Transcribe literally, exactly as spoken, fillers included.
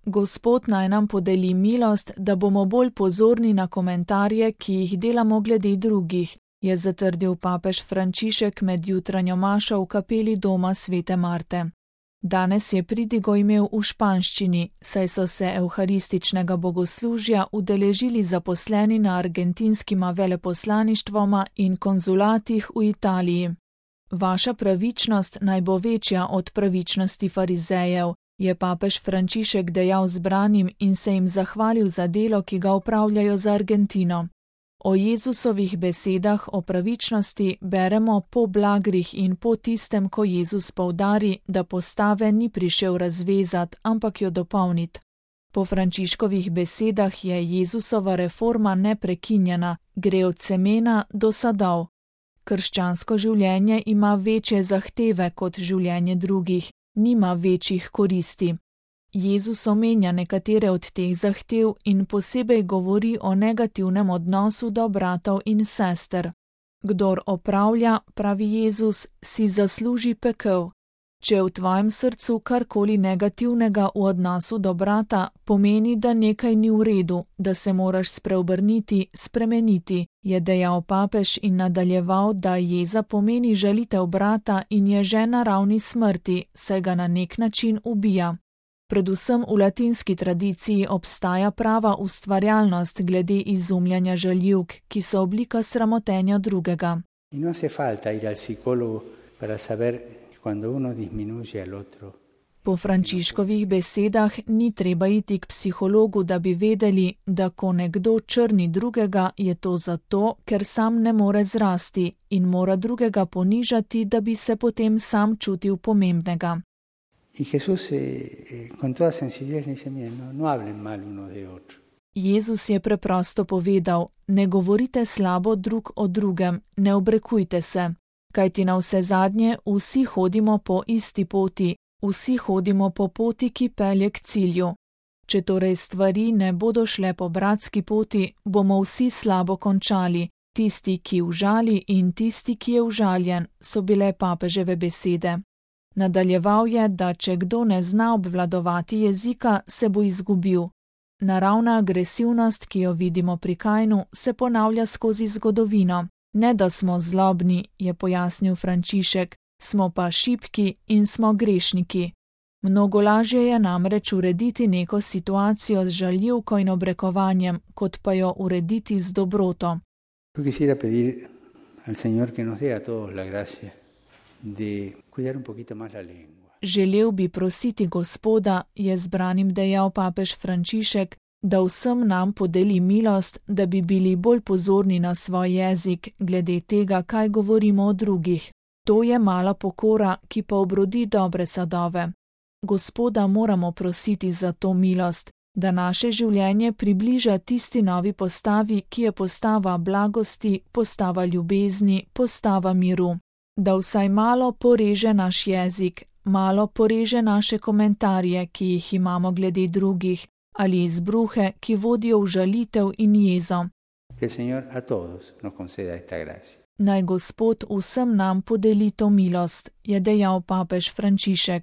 Gospod naj nam podeli milost, da bomo bolj pozorni na komentarje, ki jih delamo glede drugih, je zatrdil papež Frančišek med jutranjo mašo v kapeli doma svete Marte. Danes je pridigo imel v španščini, saj so se evharističnega bogoslužja udeležili zaposleni na argentinskima veleposlaništvoma in konzulatih v Italiji. Vaša pravičnost naj bo večja od pravičnosti farizejev, je papež Frančišek dejal zbranim in se jim zahvalil za delo, ki ga opravljajo za Argentino. O Jezusovih besedah o pravičnosti beremo po blagrih in po tistem, ko Jezus poudari, da postave ni prišel razvezat, ampak jo dopolnit. Po Frančiškovih besedah je Jezusova reforma neprekinjena, gre od semena do sadov. Krščansko življenje ima večje zahteve kot življenje drugih, nima večjih koristi. Jezus omenja nekatere od teh zahtev in posebej govori o negativnem odnosu do bratov in sester. Kdor opravlja, pravi Jezus, si zasluži pekel. Če v tvojem srcu karkoli negativnega v odnosu do brata, pomeni, da nekaj ni v redu, da se moraš spreobrniti, spremeniti, je dejal papež in nadaljeval, da jeza pomeni žalitev brata in je že na ravni smrti, saj ga na nek način ubija. Predvsem v latinski tradiciji obstaja prava ustvarjalnost glede izumljanja žaljivk, ki so oblika sramotenja drugega. No hace falta ir al psicólogo para saber cuando uno disminuye al otro. Po Frančiškovih besedah ni treba iti k psihologu, da bi vedeli, da ko nekdo črni drugega, je to zato, ker sam ne more zrasti in mora drugega ponižati, da bi se potem sam čutil pomembnega. Y Jesús eh, con toda sencillez dice, no, no hablen mal uno de otro. Jezus je preprosto povedal, ne govorite slabo drug o drugem, ne obrekujte se, kajti na vse zadnje vsi hodimo po isti poti, vsi hodimo po poti, ki pelje k cilju. Če torej stvari ne bodo šle po bratski poti, bomo vsi slabo končali, tisti, ki užali in tisti, ki je užaljen, so bile papeževe besede. Nadaljeval je, da če kdo ne zna obvladovati jezika, se bo izgubil. Naravna agresivnost, ki jo vidimo pri Kainu, se ponavlja skozi zgodovino. Ne da smo zlobni, je pojasnil Frančišek, smo pa šibki in smo grešniki. Mnogo lažje je namreč urediti neko situacijo z žaljivko in obrekovanjem, kot pa jo urediti z dobroto. Quisiera pedir al Señor que nos dé a todos la gracia de cuidar un poquito más la lengua. Želel bi prositi Gospoda, je zbranim dejal papež Frančišek, da vsem nam podeli milost, da bi bili bolj pozorni na svoj jezik, glede tega, kaj govorimo o drugih. To je mala pokora, ki pa obrodi dobre sadove. Gospoda moramo prositi za to milost, da naše življenje približa tisti novi postavi, ki je postava blagosti, postava ljubezni, postava miru. Da vsaj malo poreže naš jezik, malo poreže naše komentarje, ki jih imamo glede drugih, ali izbruhe, ki vodijo v žalitev in jezo. Naj Gospod vsem nam podeli to milost, je dejal papež Frančišek.